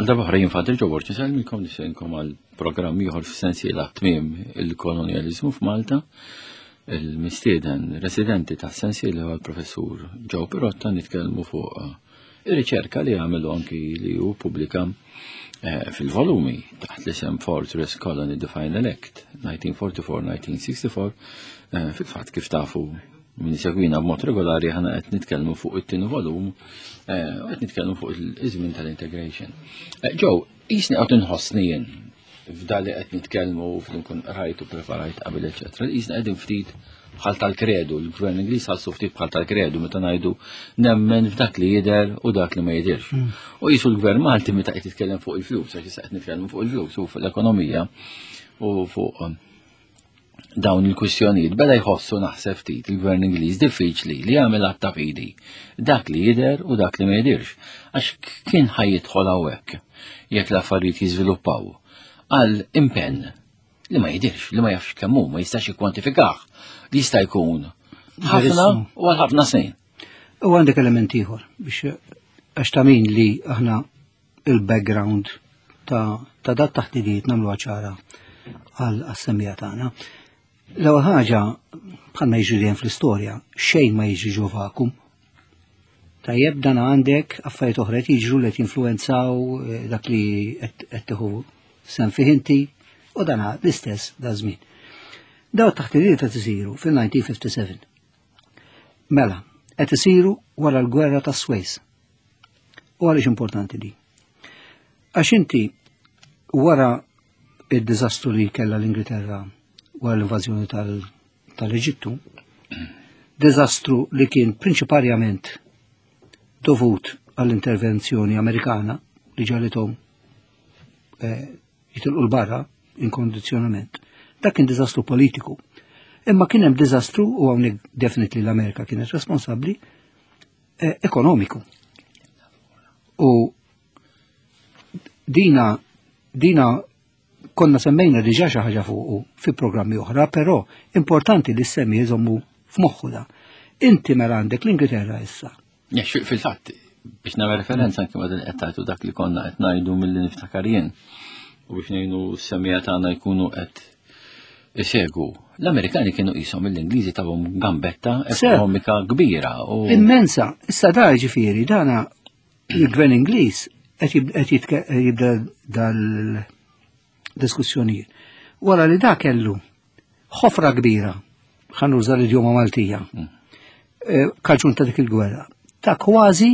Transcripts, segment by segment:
Għal darba oħra jien Father Joe Borg insellmilkom nistenkom għal programm ieħor f'sensiela tmiem il-kolonjaliżmu f'Malta. Il-mistieden residenti ta' sensiela huwa l-professur Joe Pirotta nitkellmu fuq eh, ir-riċerka li għamelu anki li hu pubblika eh, fil-volumi taħt l-isem Fortress Colony The Final Act 1944-1964 eh, fil-fatt kif tafu min isegwina b'mod regolari ħana qed nitkellmu fuq it-tieni volum eh, u qed nitkellmu fuq iż-żmien tal-integration. Eh, Joe, jisni qed inħossni jien f'dali qed nitkellmu f'li nkun rajt u preparajt qabel eċetera, jisni qegħdin ftit bħal tal-kredu, l-gvern Ingliż ħassu ftit bħal tal-kredu meta ngħidu nemmen f'dak li jidher u dak li ma jidhirx. U jisu l-gvern Malti meta qed jitkellem fuq il-flus, għax issa qed nitkellmu fuq il-flus u fuq l-ekonomija u fuq eh, dawn il-kwistjonijiet beda jħossu naħseb ftit il-gvern Ingliż diffiċli li jagħmel att ta' fidi dak li jidher u dak li ma jidhirx għax kien ħaj jidħol hawnhekk jekk l-affarijiet jiżviluppaw għal impenn li ma jidhirx, li ma jafx kemm hu, ma jistax jikkwantifikah, li jista' jkun ħafna u għal ħafna snin. U għandek element ieħor biex għax ta' min li aħna il-background ta', ta dat taħdidiet nagħmluha ċara għal assembija tagħna. L-ewwel ħaġa bħalma jiġri dejjem fl-istorja, xejn ma jiġri ġo vakum. Tajjeb dan għandek affarijiet oħra qed jiġru li qed jinfluwenzaw eh, dak li qed tieħu sem fih inti u dan l-istess da żmien. Daw taħtidiet qed isiru fil-1957. Mela, qed isiru wara l-gwerra ta' Suez. U għaliex importanti di? Għax inti wara id-diżastru li kellha l-Ingilterra wara l-invażjoni tal-Eġittu, diżastru li kien prinċiparjament dovut għall-intervenzjoni Amerikana li ġalithom eh, jitilqu l-barra inkondizzjonament. Dak kien diżastru politiku. Imma kien hemm diżastru u hawnhekk definitely l-Amerika kienet responsabbli eh, ekonomiku. U dina dina konna semmejna diġà xi ħaġa fuqu fi programmi oħra, però importanti li semmi jżommu f'moħħu da. Inti mela għandek l-Ingilterra issa. Fil-fatt, biex nagħmel referenza anke ma' din qed tgħidu dak li konna qed ngħidu milli niftakar jien u biex ngħinu s-semija tagħna jkunu qed isegu. L-Amerikani kienu qishom l-Ingliżi tawhom gambetta ekonomika kbira. U... Immensa, issa da ġifieri dana il-gvern Ingliż qed jibda dal-diskussjonijiet. Wara li da kellu ħofra kbira, ħanuża l-idjoma Maltija, mm. eh, kaġun ta' dik il-gwerra, ta' kważi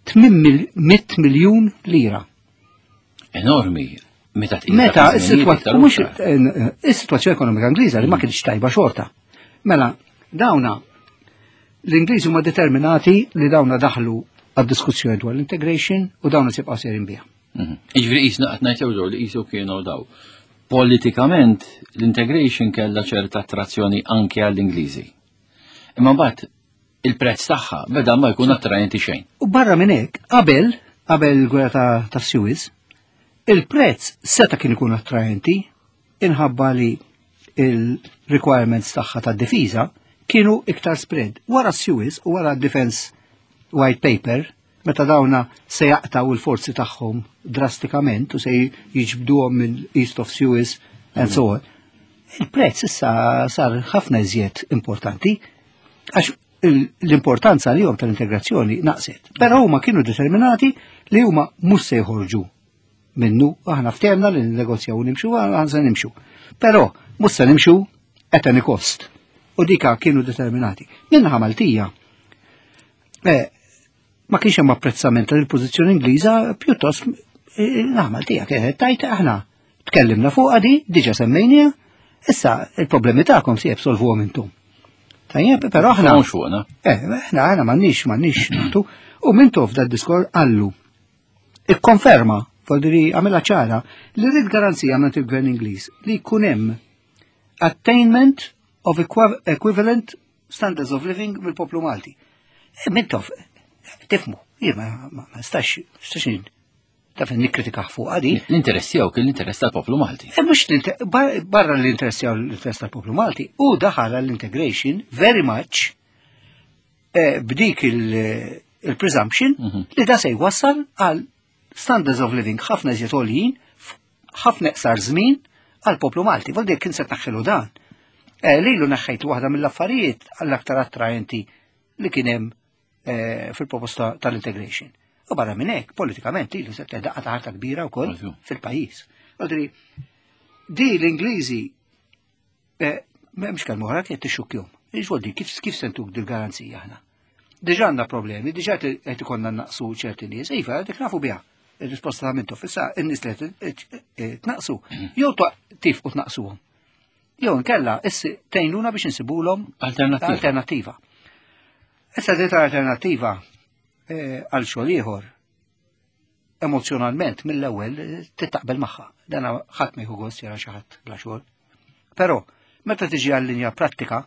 800 miljun lira. Enormi. Meta Meta is-sitwazzjoni ekonomika Ingliża li ma kienx tajba xorta. Mela, dawna l-Ingliżi huma determinati li dawna daħlu għad-diskussjoni dwar l-integration u dawna sibqa' serin biha. Mhm. Iġveri jisna qed ngħid li qisu kienu daw. Politikament l-integration kellha ċerta attrazzjoni anke għall-Ingliżi. Imma mbagħad il-prezz tagħha beda ma jkun attraenti xejn. U barra minn hekk, qabel qabel il-gwerra ta', ta Suez, il-prezz seta' kien ikun attraenti inħabba li il-requirements tagħha ta' difiża kienu iktar spread. Wara Suez u wara Defense White Paper, meta dawna se jaqtaw il-forzi tagħhom drastikament u se jiġbduhom minn East of Suez and so on. Il-prezz issa sar ħafna iżjed importanti għax l-importanza li tal-integrazzjoni naqset. Però huma kienu determinati li huma mhux se jħorġu minnu, aħna ftehmna li negozjaw u nimxu, aħna se nimxu. Però mhux se nimxu at any cost. U dika kienu determinati. Minnaħa Maltija, eh, ma kienx hemm apprezzament tal-pożizzjoni Ingliża pjuttost eh, naħa Maltija kienet tajt aħna tkellimna fuq di, diġa semmejnija, issa il-problemi tagħkom se jibsolvuhom intom. Tajjeb, però aħna. Eh, aħna aħna m'għandniex m'għandniex nagħtu. U Mintoff dad diskor qallu ikkonferma, voldiri għamilha ċara, li rrid garanzija minn il-Gvern Ingliż li jkun hemm attainment of equivalent standards of living mill-poplu Malti. E, Mintoff, tifmu, jien ma nistax, nistax taf nikkritika fuq għadi. L-interess tiegħu kien l-interess tal-poplu Malti. E mhux barra l-interess tiegħu l-interess tal-poplu Malti, u daħal l-integration very much eh, b'dik il-presumption mhm. li da se jwassal għal standards of living ħafna iżjed għoljin, ħafna iqsar żmien għal poplu Malti. Vol kien se tnaħħilu dan. Eh, lilu neħħejt waħda mill-affarijiet għall-aktar attraenti li kien hemm eh, fil-proposta tal-integration. U barra minn hekk, politikament lilu se daqqa ta' ħarta kbira wkoll fil-pajjiż. Għodri, di l-Ingliżi eh, m'hemmx kelma oħra kienet tixxukkjhom. Iġwoldi, kif kif sentuk dil-garanzija aħna? Diġà għandna problemi, diġà qed ikollna naqsu ċerti nies, iva, dik nafu biha. Ir-risposta ta' mintu, issa n-nies li qed tnaqsu, jew tifqu tnaqsuhom. Jew inkella issi tgħinuna biex insibulhom alternattiva. Alternattiva. Issa dit alternattiva eh, għal xogħol ieħor emozjonalment mill-ewwel eh, titaqbel magħha. Dan ħadd ma jieħu gost jara xi ħadd bla xogħol. Però meta tiġi għal linja prattika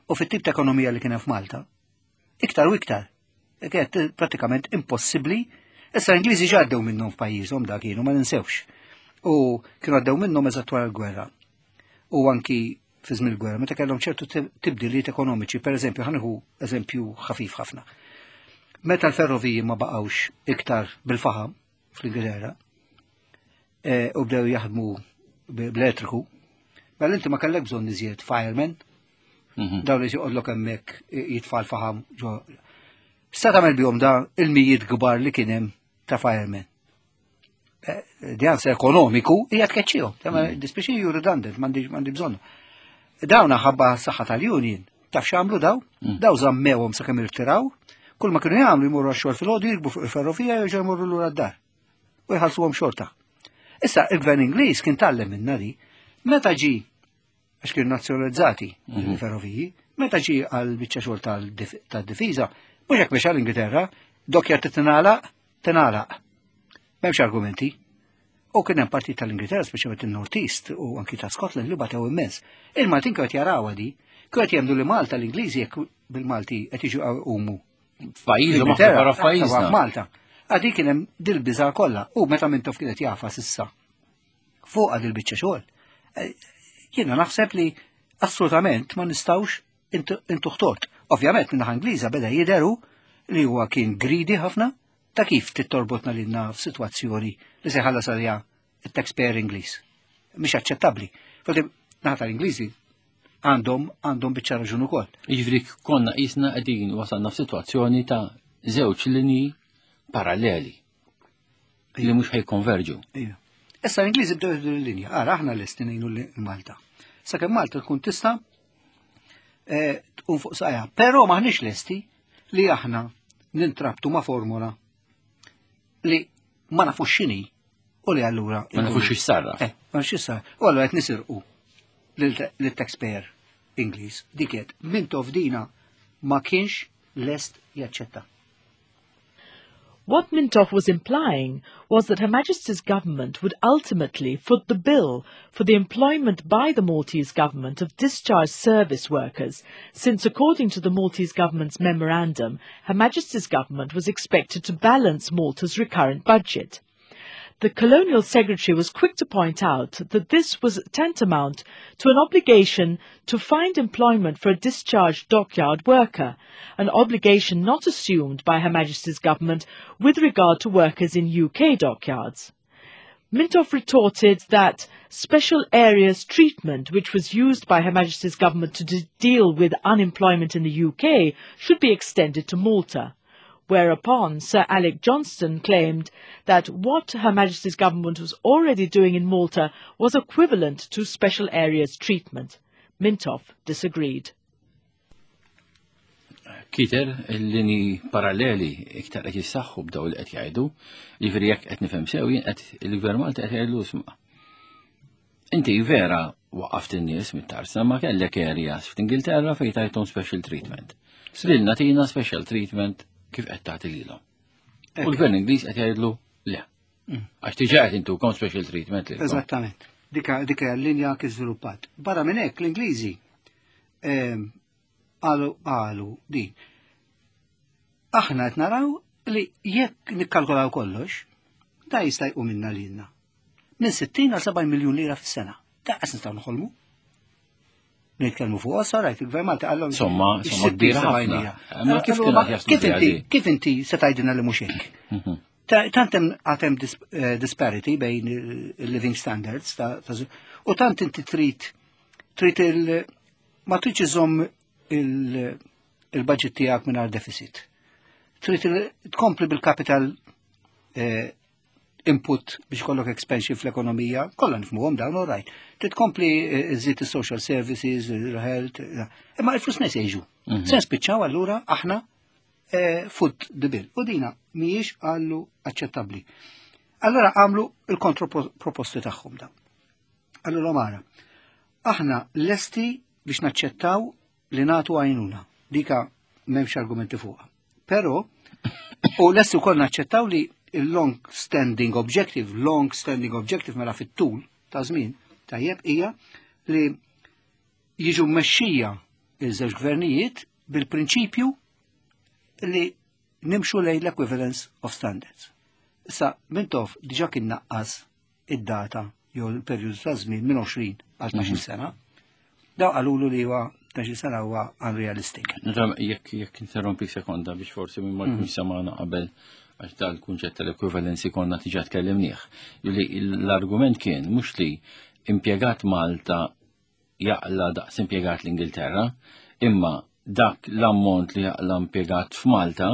u fit-tip ta' ekonomija li kien hemm f'Malta, iktar u iktar, kienet pratikament impossibbli. Issa l-Ingliżi ġaddew minnhom f'pajjiżhom dak kienu ma ninsewx. U kienu għaddew minnhom eżatt wara l-gwerra. U anki fi żmien il-gwerra meta kellhom ċertu tibdiliet ekonomiċi, per eżempju, ħanieħu eżempju ħafif ħafna. Meta l-ferroviji ma baqgħux iktar bil-faħam fl-Ingilterra e, u bdew jaħdmu bl-elettriku, mela inti ma kellek bżonn iżjed firemen, mhm. dawn li joqgħodlok hemmhekk jitfa' l-faħam ġo. Sa tagħmel bihom da il-mijiet kbar li kien hemm ta' firemen. Eh, di answer ekonomiku hija tkeċċihom. Mm. Dispiċi ju redundant, m'għandi bżonn. Dawn ħabba s-saħħa tal-union. Taf x'għamlu daw? Mm. Daw żammewhom sakemm irtiraw. Kull ma kienu jagħmlu jmorru għax-xogħol fil-ħodu jirkbu fuq il-ferrovija jerġgħu jmorru lura d-dar. U jħallsuhom xorta. Issa il-gvern Ingliż kien tgħallem minna di. Meta ġi għax kienu nazzjonalizzati mhm. il-ferroviji, meta ġi għal biċċa xogħol tad-difiża, mhux hekk biex għall-Ingilterra, dokja titingħalaq, tingħalaq. M'hemmx argumenti. U kien hemm partit tal-Ingilterra, speċjalment in-North East u anki ta' Scotland li batew immens. Il-Maltin kienu qed jarawha di, kienu qed jemmnu li Malta l-Ingliżi jekk bil-Malti qed jiġu qumu. F'pajjiżhom aħna barra f'pajjiżna. Malta. Għadi kien hemm dil-biża' kollha u meta Mintoff kienet jafa s'issa fuq għad il-biċċa xogħol. Eh, jiena naħseb li assolutament ma nistawx intuħ tort. Ovvjament minnaħa Ingliża beda jidheru li huwa kien greedy ħafna ta' kif tittorbotna lilna f'sitwazzjoni li se ħallas għaliha it-taxpayer Ingliż. Mhix aċċettabbli. Fodi naħa tal-Ingliżi għandhom għandhom biċċa raġun ukoll. Jiġifieri konna qisna qegħdin wasalna f'sitwazzjoni ta' żewġ linji paralleli li mhux ħajkonverġu. Issa l-Ingliżi bdew jieħdu l-linja, ara aħna lesti ngħinu l-Malta. Sakemm Malta tkun tista' eh, tqum fuq saqajha, però maħniex lesti li aħna nintrabtu ma' formula li ma nafux x'inhi u li allura. Ma nafux x'issarra. Eh, ma nafux x'issarra. U allura qed nisirqu lill-taxpayer Ingliż. Dik qed Mintoff dina ma kienx lest jaċċetta. What Mintoff was implying was that Her Majesty's government would ultimately foot the bill for the employment by the Maltese government of discharged service workers, since according to the Maltese government's memorandum, Her Majesty's government was expected to balance Malta's recurrent budget. The Colonial Secretary was quick to point out that this was tantamount to an obligation to find employment for a discharged dockyard worker, an obligation not assumed by Her Majesty's government with regard to workers in UK dockyards. Mintoff retorted that special areas treatment, which was used by Her Majesty's government to de deal with unemployment in the UK, should be extended to Malta. Whereupon Sir Alec Johnston claimed that what Her Majesty's government was already doing in Malta was equivalent to special areas treatment. Mintoff disagreed. Kiter, il-lini paralleli iktar qed jissaħħu b'daw li qed jgħidu, jiġifieri jekk qed nifhem sew jien qed il-Gvern Malti qed jgħidlu isma'. Inti vera waqaft in-nies mit-tarsa ma kellek areas f'Ingilterra fejn tajthom special treatment. Lilna tina special treatment kif qed tagħti lilhom. U l-Gvern Ingliż qed jgħidlu le. Mm. Għax diġà qed intukom special treatment lilkom. Eżattament. Dika dika l-linja kif żviluppat. Barra minn hekk l-Ingliżi ehm, qalu qalu din. Aħna qed naraw li jekk nikkalkolaw kollox, da jista' jqum minna lilna. Minn 60 għal 70 miljun lira fis-sena. Da qas nistgħu noħolmu. Nitkellmu fuq ossa, rajt il-gvern Malti qallhom. Somma, somma kbira ħafna. Ma kif kif inti kif inti se tgħidilna li mhux hekk? Mhm. Tant hemm għad hemm disparity bejn il-living standards u tant inti trid il ma tridx iżomm il-budget tiegħek mingħajr deficit. Trid tkompli bil-capital input biex kollok expansion fl-ekonomija, kollha nifhmuhom dawn, all right. Trid tkompli iżid is-social services, il-health, imma il-flus minn se jiġu? Se nispiċċaw allura aħna foot the bill. U dina mhijiex għallu aċċettabbli. Allora għamlu il-kontroproposti tagħhom dawn. Allura mara, aħna lesti biex naċċettaw li nagħtu għajnuna. Dika m'hemmx argumenti fuqha. Però, u lesti wkoll naċċettaw li il-long standing objective, long standing objective mela fit-tul ta' żmien, tajjeb, hija li jiġu mmexxija iż-żewġ gvernijiet bil-prinċipju li nimxu lejn l-equivalence of standards. Issa, Mintoff diġa kien naqqas id-data jew il-perjodu ta' żmien minn 20 għal 12 sena. Daw qalulu li huwa 12 sena huwa unrealistic. Nifhem, jekk interrompi sekonda biex forsi minn ma jkunx samana qabel, għax dal-kunċett tal-equivalency konna diġà tkellimnieh. Li l-argument kien mhux li impjegat Malta jaqla daqs impjegat l-Ingilterra, imma dak l-ammont li jaqla impjegat f'Malta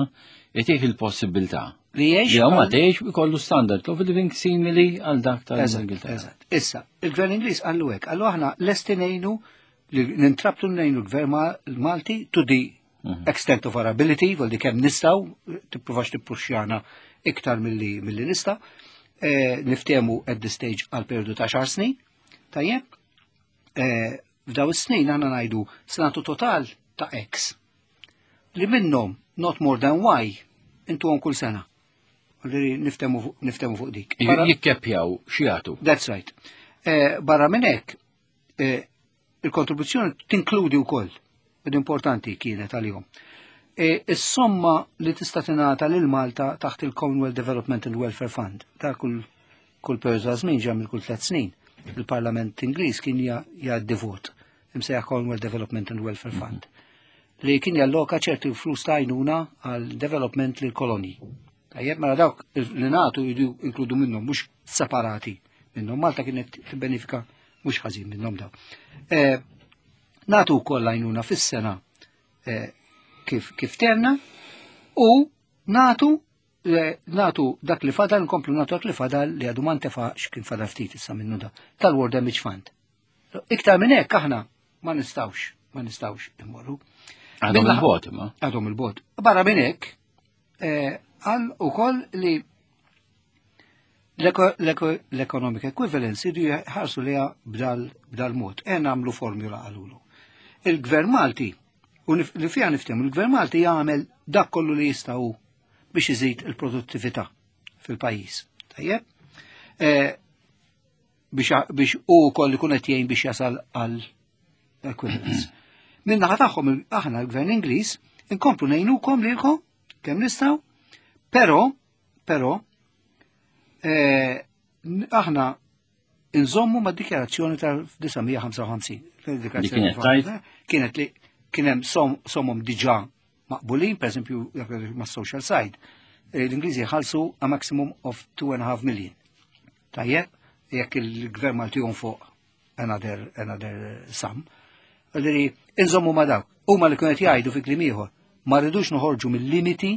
jtih il-possibilità li jgħix li huma tgħix ikollu standard of living simili għal dak tal-Ingilterra. Eżatt. Issa, il-Gvern Ingliż qallu hekk, qallu aħna lesti ngħinu li nintrabtu ngħinu l-Gvern Malti to the extent of our ability, vol di kemm nistgħu, tippruvax tippuxxjana iktar milli nista', niftehmu at this stage għal periodu ta' 10 snin, tajjeb, f'daw is-snin għandna ngħidu se nagħtu total ta' X li minnhom not more than Y intuhom kull sena. Għalli niftemu fuq dik. Jikkeppjaw x'jagħtu. That's right. Barra minn hekk, il-kontribuzzjoni tinkludi wkoll, ed importanti kienet għalihom. Is-somma li tista' tingħata lil Malta taħt il-Commonwealth Development and Welfare Fund ta' kull periodu ta' żmien, ġa kull 3 snin. Il-Parlament Ingliż kien jgħaddi vot imsejjaħ Commonwealth Development and Welfare Fund li kien jalloka ċerti flus ta' għajnuna għal development lil kolonji. Tajjeb, mela dawk li nagħtu jridu inkludu minnhom, mhux separati minnhom. Malta kienet tibbenefika mhux ħażin minnhom daw. Nagħtu wkoll għajnuna fis-sena kif tenna u nagħtu dak li fadal, nkomplu nagħtu dak li fadal li għadu ma ntefax, kien fadal ftit issa minnu da, tal-War Damage Fund. Iktar minn hekk aħna ma nistgħux immorru. Għadhom il-bot, imma. Għadhom il-bot. Barra minn hekk, għal ukoll li l-economic equivalence jridu jħarsu liha b'dal mod. E nagħmlu formula għalulu. Il-Gvern Malti, u li fiha niftehmu, il-Gvern Malti jagħmel dak kollu li jistgħu biex iżid il-produttività fil-pajjiż. Tajjeb? Biex u koll ikun qed jgħin biex jasal għal equivalence. Min naħa tagħhom aħna l-Gvern Ingliż inkomplu ngħinukom lilkom kemm nistgħu, però aħna nżommu ma' dikjarazzjoni tal-1955. Li kienet tajt? Kienet li kien hemm somom diġà maqbulin, per esempio, ma' social side. L-Ingliżi ħalsu a maximum of 2.5 million. Tajjeb, jekk il-gvern Malti fuq another sum. Għalli, inżommu ma' dawk. Huma li kienet jgħidu fi kliem ieħor, ma rridux noħorġu mill-limiti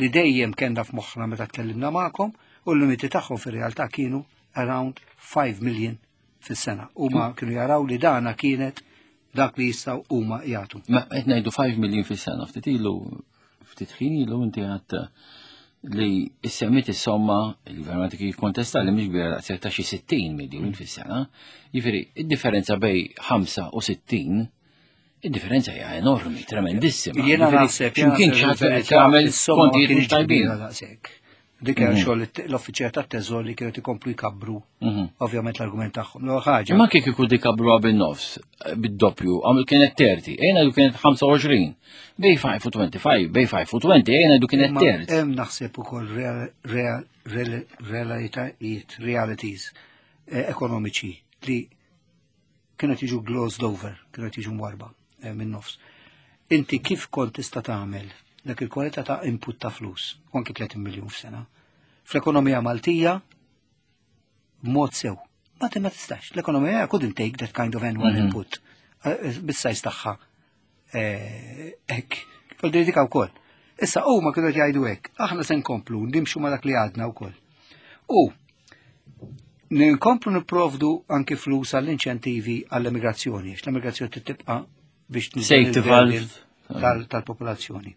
li dejjem kellna f'moħħna meta tkellimna magħkom, u l-limiti tagħhom fir-realtà kienu around 5 million fis-sena. Huma kienu jaraw li dana kienet dak li jistgħu huma jagħtu. Ma qed ngħidu 5 million fis-sena, ftit ilu, ftit ħin ilu inti għadt li semmit is-somma, il-gvern Malti kien jikkontesta li mhix kbira daqshekk ta' xi 60 miljun fis-sena. Jiġifieri, id-differenza bej 5 u 60, id-differenza hija enormi, tremendissima. Jiena Jiġifieri, naħseb, x'imkien jiena xi ħadd naħseb qed jagħmel is-somma ma kontijiet mhux kienx tajbin. kbira daqshekk. Dik hija xogħol l-uffiċjal tat-teżor li kienet ikomplu jkabru, ovvjament l-argument tagħhom. L-ewwel ħaġa. Imma kif ikun dikabru bin-nofs, bid-doppju, għamil kienet 30, ejna du kienet 25, bej 5 u 25, bej 5 u 20, ejna du kienet Imma 30. Hemm naħseb ukoll realitajiet, realities ekonomiċi li kienet jiġu glossed over, kienet jiġu mwarba minn nofs. Inti kif kont tista' tagħmel dak il-kwalità ta' input ta' flus, u anki 30 miljun f'sena. Fl-ekonomija Maltija, b'mod sew. Ma ma tistax. L-ekonomija couldn't take that kind of annual input. Bis-size tagħha. Hekk. Voldiri dik wkoll. Issa huma kienu qed jgħidu hekk, aħna se nkomplu nimxu ma dak li għadna wkoll. U nkomplu nipprovdu anki flus għall-inċentivi għall-emigrazzjoni, għax l-emigrazzjoni tibqa' biex niżel Safety valve. tal-popolazzjoni.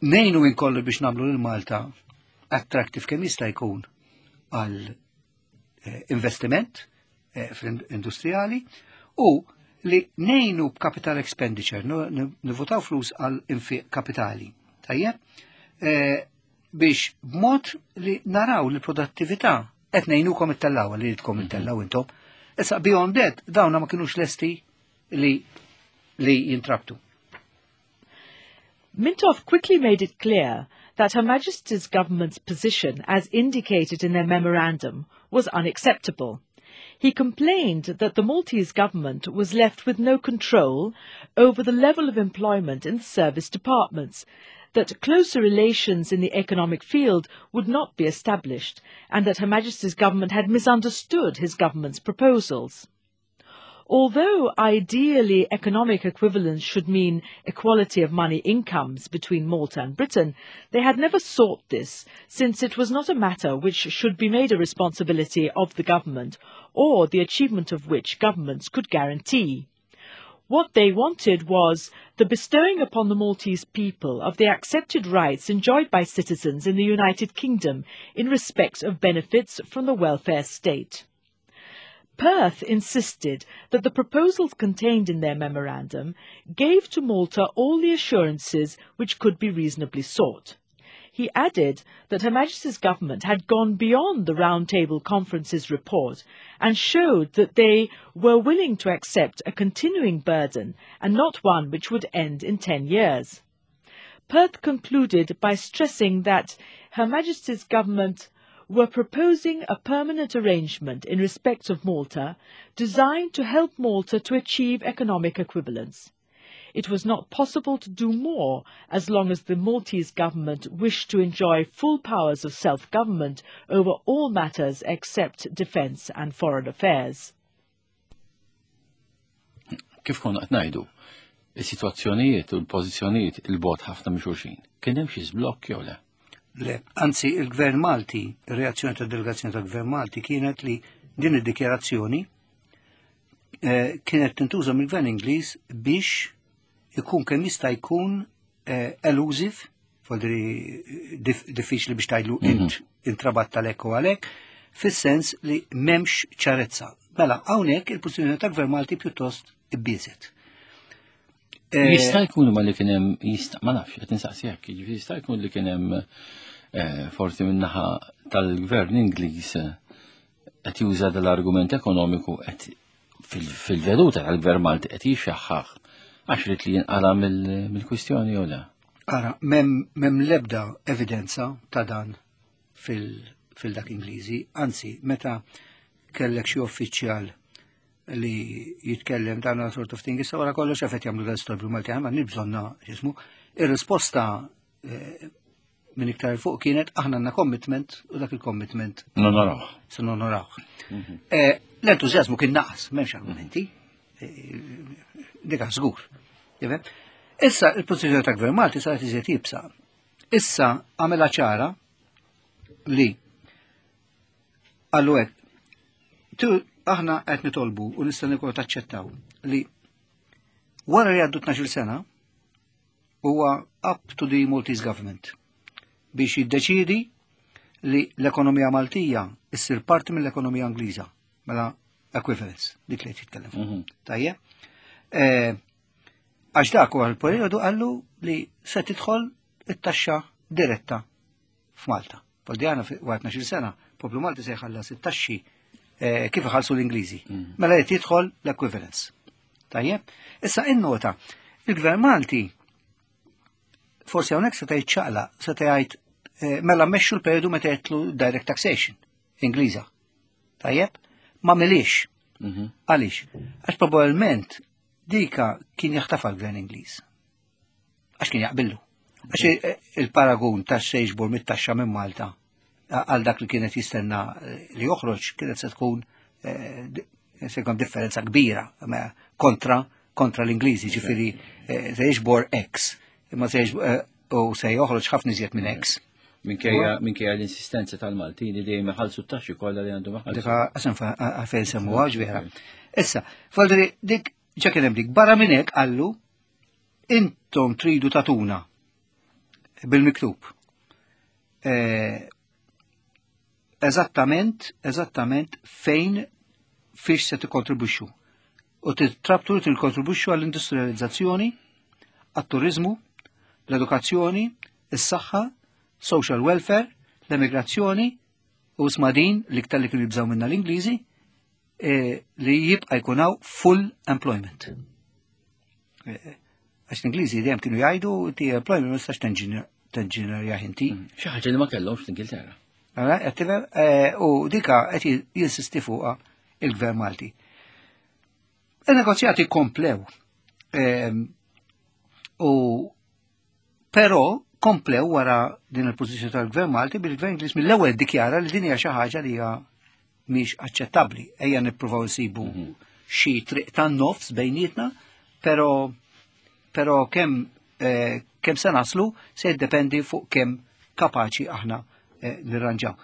Ngħinu inkollu biex nagħmlu lil Malta attractive kemm jista' jkun għal investiment fl-industrijali u li ngħinu b'capital expenditure, nivvotaw flus għal infiq kapitali. Tajjeb? Biex b'mod li naraw li produttività qed ngħinukom ittellaw li jridkom ittellaw intom. Issa beyond that dawna ma kinux lesti li jintrabtu. Mintoff quickly made it clear that Her Majesty's government's position, as indicated in their memorandum, was unacceptable. He complained that the Maltese government was left with no control over the level of employment in the service departments, that closer relations in the economic field would not be established, and that Her Majesty's government had misunderstood his government's proposals. Although ideally economic equivalence should mean equality of money incomes between Malta and Britain, they had never sought this, since it was not a matter which should be made a responsibility of the government, or the achievement of which governments could guarantee. What they wanted was the bestowing upon the Maltese people of the accepted rights enjoyed by citizens in the United Kingdom in respect of benefits from the welfare state. Perth insisted that the proposals contained in their memorandum gave to Malta all the assurances which could be reasonably sought. He added that Her Majesty's government had gone beyond the Round Table Conference's report and showed that they were willing to accept a continuing burden and not one which would end in 10 years. Perth concluded by stressing that Her Majesty's government were proposing a permanent arrangement in respect of Malta designed to help Malta to achieve economic equivalence. It was not possible to do more as long as the Maltese government wished to enjoy full powers of self-government over all matters except defence and foreign affairs. Kif konna qed ngħidu, is-sitwazzjonijiet u l-pożizzjonijiet il-bogħod ħafna minn xulxin. Kien hemm xi żblokk jew le? Le, anzi il-Gvern Malti, ir-reazzjoni tad-delegazzjoni tal-Gvern Malti kienet li din id-dikjarazzjoni kienet tintuża mill-Gvern Ingliż biex ikun kemm jista' jkun elusive, voldiri diffiċli biex tgħidlu int intrabatt għalhekk u għalhekk, fis-sens li m'hemmx ċarezza. Mela hawnhekk il-pożizzjoni tal-Gvern Malti pjuttost ibbiżet. Jista' jkun ma li kien hemm, jista' ma nafx, qed insaqsi hekk, jiġifieri jista' jkun li kien hemm forsi min-naħa tal-Gvern Ingliż qed juża dal-argument ekonomiku qed fil-veduta tal-Gvern Malti qed jixxaħħaħ għax rid li jinqala mill-kwistjoni jew le? Ara, mem lebda evidenza ta' dan fil-dak Ingliżi, anzi, meta kellek xi uffiċjal li jitkellem dan sort of thing, issa wara kollox qed jagħmlu dan storbju Malti, ma nibżonna x'ismu. Ir-risposta minn iktar fuq kienet aħna għandna commitment u dak il-commitment Nonorawh. Se nonorawh. L-entużjażmu kien naqas, m'hemmx argumenti. Dika żgur. Jifhem? Issa il-pożizzjoni ta' Gvern Malti saret iżjed iebsa. Issa għamela ċara li għallu hekk, aħna qed nitolbu u nista' nikol taċċettaw li wara li għaddu 12 sena huwa up to the Maltese government biex jiddeċidi li l-ekonomija Maltija issir parti mill-ekonomija Ingliża, mela equivalence, dik li qed jitkellem fuq. Tajjeb? Għax dak huwa l-perjodu qallu li se tidħol it-taxxa diretta f'Malta. Poldi għana wara 12 sena, poplu Malti se jħallas it-taxxi kif iħallsu l-Ingliżi. Mela qed jidħol l-equivalence. Tajjeb? Issa innota, il-Gvern Malti forsi hawnhekk seta' jiċċaqlaq, seta' jgħid mela mmexxu l-perjodu meta jgħidlu direct taxation Ingliża. Tajjeb? Ma milix. Għaliex? Għax probabbilment dika kien jaħtafa l-Gvern Ingliż. Għax kien jaqbillu. Għax il-paragun ta' se jiġbor mit-taxxa minn Malta għal dak li kienet jistenna li joħroġ kienet se tkun se jkun differenza kbira kontra kontra l-Ingliżi, ġifieri se jiġbor X, imma se u se joħroġ ħafna iżjed minn X. Minkejja minkejja l-insistenza tal-Maltin li dejjem iħallsu t-taxxi kollha li għandhom iħallsu. Dika qasam għalfejn semmuha ġvera. Issa, faldri dik ġa kien hemm dik barra minn hekk qallu intom tridu tatuna bil-miktub. Eh, eżattament, eżattament fejn fiex se tikkontribwixxu. U titrabtu li tikkontribwixxu għall-industrializzazzjoni, għat-turizmu, l-edukazzjoni, is-saħħa, social welfare, l-emigrazzjoni u smadin l-iktar li kienu jibżaw minna l-Ingliżi eh, li jibqa' jkun hawn full employment. Eh, għax l-Ingliżi dejjem kienu jgħidu ti employment ma tistax tenġinerja inti. Mm. Xi ħaġa li ma kellhomx fl-Ingilterra. Eh, u dika qed jinsisti fuqha il-Gvern Malti. Il-negozjati komplew. Ehm, u però komplew wara din il-pożizzjoni tal-Gvern Malti bil-Gvern Ingliż mill-ewwel dikjara li din hija xi ħaġa li hija mhix aċċettabbli. Ejja nippruvaw nsibu mhm. xi triq tan-nofs bejnietna, però però kemm eh, kemm se naslu se jiddependi fuq kemm kapaċi aħna eh, nirranġaw.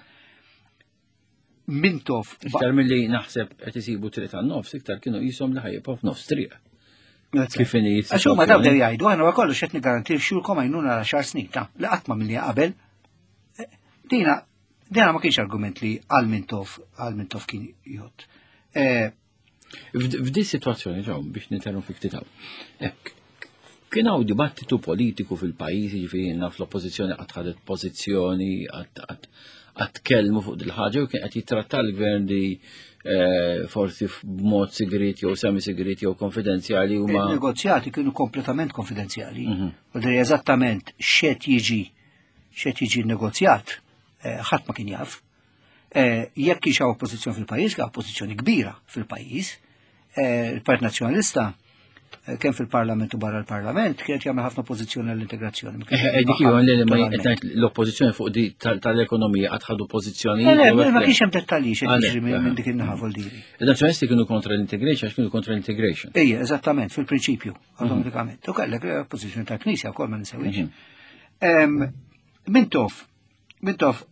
Mintoff. Iktar milli naħseb qed isibu triq tan-nofs, iktar kienu qishom li ħajjibqgħu f'nofs triq. Kif inhi Għax huma daw dew jgħidu, aħna kollox qed nigarantixxulkom għajnuna għal xar snin ta' li qatt ma milli qabel. Eh, dina dina ma kienx argument li għal Mintoff għal Mintoff kien jgħod. Eh, F'di situazzjoni ġew biex ninterrompi ftit hawn. Kien hawn dibattitu politiku fil-pajjiż, jiġifieri naf l-oppożizzjoni qatt ħadet pożizzjoni, qatt tkellmu fuq dil-ħaġa u kien qed jittratta l-gvern li eh, forsi b'mod sigrit jew semi sigrit jew konfidenzjali huma. Il-negozjati kienu kompletament konfidenzjali. Mhm. U dri eżattament x'qed jiġi x'qed jiġi negozjat eh, ħadd ma kien jaf. Eh, jekk kienx hawn oppożizzjoni fil-pajjiż, hawn oppożizzjoni kbira fil-pajjiż, eh, il-Partit Nazzjonalista eh, kemm fil-Parlament u barra l-Parlament kienet jagħmel ħafna oppożizzjoni għall-integrazzjoni. Dik l-oppożizzjoni fuq di tal-ekonomija qatt ħadu pożizzjoni. Ma kienx hemm dettalji xi jiġri minn dik in-naħa diri. Il-Nazzjonalisti kienu kontra l-integration għax kienu kontra l-integration. Ejja, eżattament, fil-prinċipju, mhm. automatikament. U kellek oppożizzjoni tal-Knisja wkoll ma ninsewix. Mhm. Mintoff, Mintoff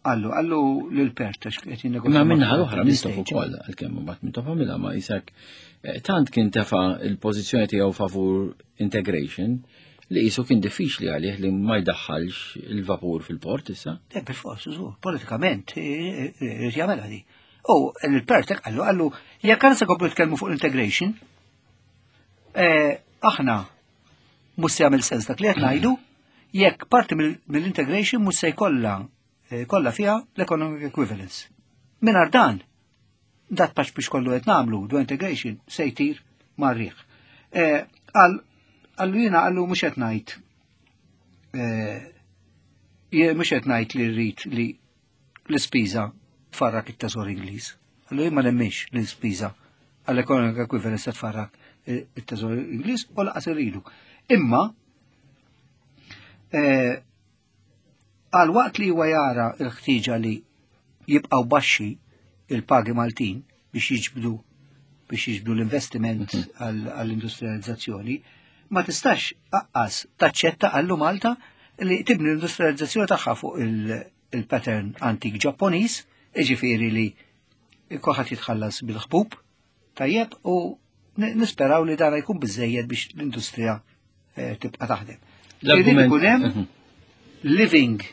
Għallu, għallu l-pert, għax qed jinnegozja. Ma minna l-oħra Mintoff ukoll, għalkemm mbagħad Mintoff għamilha ma isek eh, tant kien tefa' il-pożizzjoni tiegħu favur integration li jisu kien diffiċli għalih li ma jdaħħalx il-vapur fil-port issa. Eh, bil-fors, politikament, eh, eh, jagħmel di. U l-pert għallu, għallu, jekk għan se komplu tkellmu fuq integration, aħna mhux se jagħmel sens dak li qed ngħidu jekk parti mill-integration mhux se jkollha eh, kollha fiha l-economic equivalence. Mingħajr dan, dat paċ biex kollu qed nagħmlu do integration se jtir mar-riħ. Eh, għallu jiena għallu mhux qed ngħid eh, mhux qed ngħid li rrid li l-ispiża tfarrak it-teżor Ingliż. Allura jien ma nemminx li l-ispiża għall-economic equivalence se tfarrak it-teżor Ingliż u laqas irridu. Imma eh, għal waqt li huwa jara l-ħtieġa li jibqgħu baxxi il-pagi Maltin biex jiġbdu biex jiġbdu l-investiment mhm. għall-industrializzazzjoni, ma tistax aqqas taċċetta għallu Malta li tibni l-industrializzazzjoni tagħha fuq il-pattern antik Ġapponiż, jiġifieri li kulħadd jitħallas bil-ħbub, tajjeb, u nisperaw li dan jkun biżejjed biex l-industrija eh, tibqa' taħdem. Irid ikun hemm mhm. living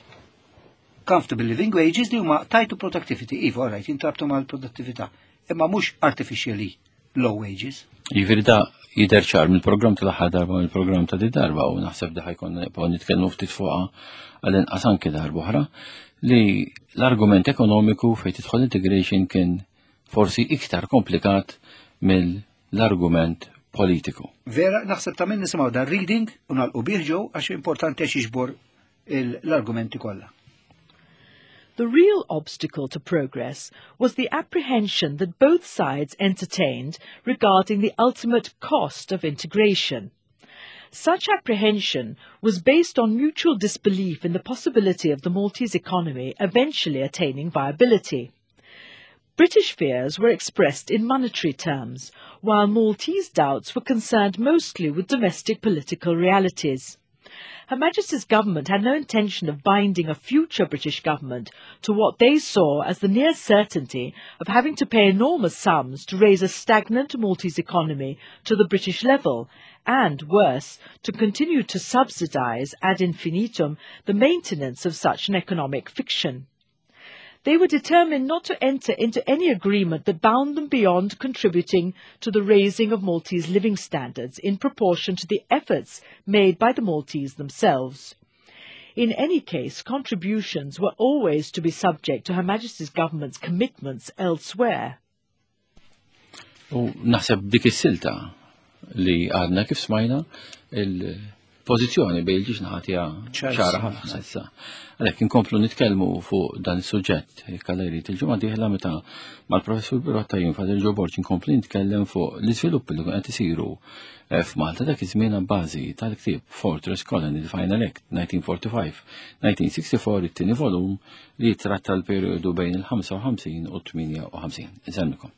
comfortable living wages li huma tied to productivity, iva, all right, jintrabtu mal-produttività, imma mhux artificially low wages. Jiġifieri da jidher ċar mill-programm tal-aħħar darba mill-programm ta' di darba u naħseb da ħajkonna nibqgħu nitkellmu ftit fuqha għall-inqas anke darba oħra li l-argument ekonomiku fejn tidħol integration kien forsi iktar komplikat mill-argument politiku. Vera, naħseb ta' minn nisimgħu dan reading u nagħlqu bih ġew għax importanti għax jiġbor l-argumenti kollha. The real obstacle to progress was the apprehension that both sides entertained regarding the ultimate cost of integration. Such apprehension was based on mutual disbelief in the possibility of the Maltese economy eventually attaining viability. British fears were expressed in monetary terms, while Maltese doubts were concerned mostly with domestic political realities. Her Majesty's government had no intention of binding a future British government to what they saw as the near certainty of having to pay enormous sums to raise a stagnant Maltese economy to the British level, and, worse, to continue to subsidise ad infinitum the maintenance of such an economic fiction. They were determined not to enter into any agreement that bound them beyond contributing to the raising of Maltese living standards in proportion to the efforts made by the Maltese themselves. In any case, contributions were always to be subject to Her Majesty's government's commitments elsewhere. U naħseb dik is-silta li għadna kif smajna il-pożizzjoni bejn il-ġiex naħatija ċara ħafna issa. Għalhekk inkomplu nitkellmu fuq dan is-suġġett jekk Alla jrid il-ġimgħa dieħla meta mal-professur Birotta jien Father Joe Borg inkompli nitkellem fuq l-iżviluppi li qed isiru eh, f'Malta dak iż-żmien bażi tal-ktieb Fortress Colony The Final Act 1945-1964 it-tieni volum li jitratta l-perjodu bejn il-55 u 58. Insellmikom.